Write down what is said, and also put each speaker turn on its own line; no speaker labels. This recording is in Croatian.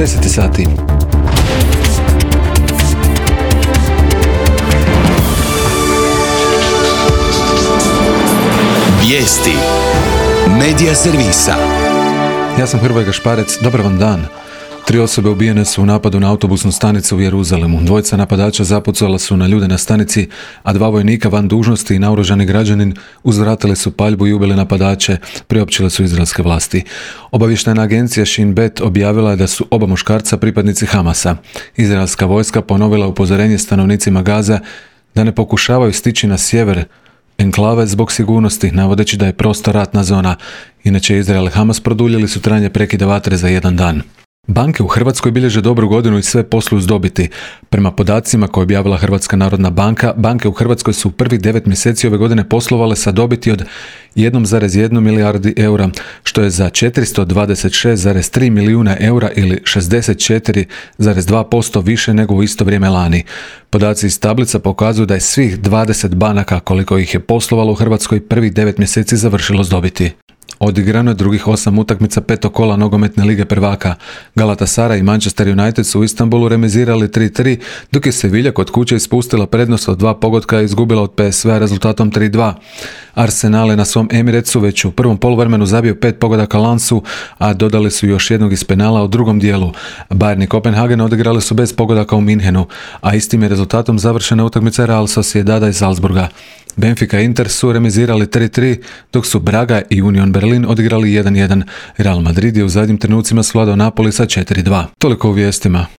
10 sati.
Vijesti Medija servisa.
Ja sam Hrvoje Gašparec, dobar vam dan. 3 osobe ubijene su u napadu na autobusnu stanicu u Jeruzalemu. 2 napadača zapucala su na ljude na stanici, a 2 vojnika van dužnosti i naoružani građanin uzvratili su paljbu i ubili napadače, priopćile su izraelske vlasti. Obavještajna agencija Shin Bet objavila je da su oba muškarca pripadnici Hamasa. Izraelska vojska ponovila upozorenje stanovnicima Gaze da ne pokušavaju stići na sjever enklave zbog sigurnosti, navodeći da je prostor ratna zona. Inače, Izrael i Hamas produljili su trajanje prekida vatre za 1 dan. Banke u Hrvatskoj bilježe dobru godinu i sve posluju s dobiti. Prema podacima koje je objavila Hrvatska narodna banka, banke u Hrvatskoj su u prvih 9 mjeseci ove godine poslovale sa dobiti od 1,1 milijardi eura, što je za 426,3 milijuna eura ili 64,2% više nego u isto vrijeme lani. Podaci iz tablica pokazuju da je svih 20 banaka koliko ih je poslovalo u Hrvatskoj prvih 9 mjeseci završilo s dobiti. Odigrano je drugih 8 utakmica 5. kola nogometne lige prvaka. Galatasaray i Manchester United su u Istanbulu remizirali 3-3, dok je Sevilla kod kuće ispustila prednost od 2 pogotka i izgubila od PSV rezultatom 3-2. Arsenal je na svom Emiratsu već u prvom poluvremenu zabio 5 pogodaka Lansu, a dodali su još jednog iz penala u drugom dijelu. Bayern i Kopenhagen odigrali su bez pogodaka u Minhenu, a istim je rezultatom završena utakmica Real Sociedada iz Salzburga. Benfica i Inter su remizirali 3-3, dok su Braga i Union Berlin odigrali 1-1. Real Madrid je u zadnjim trenucima svladao Napoli sa 4-2. Toliko u vijestima.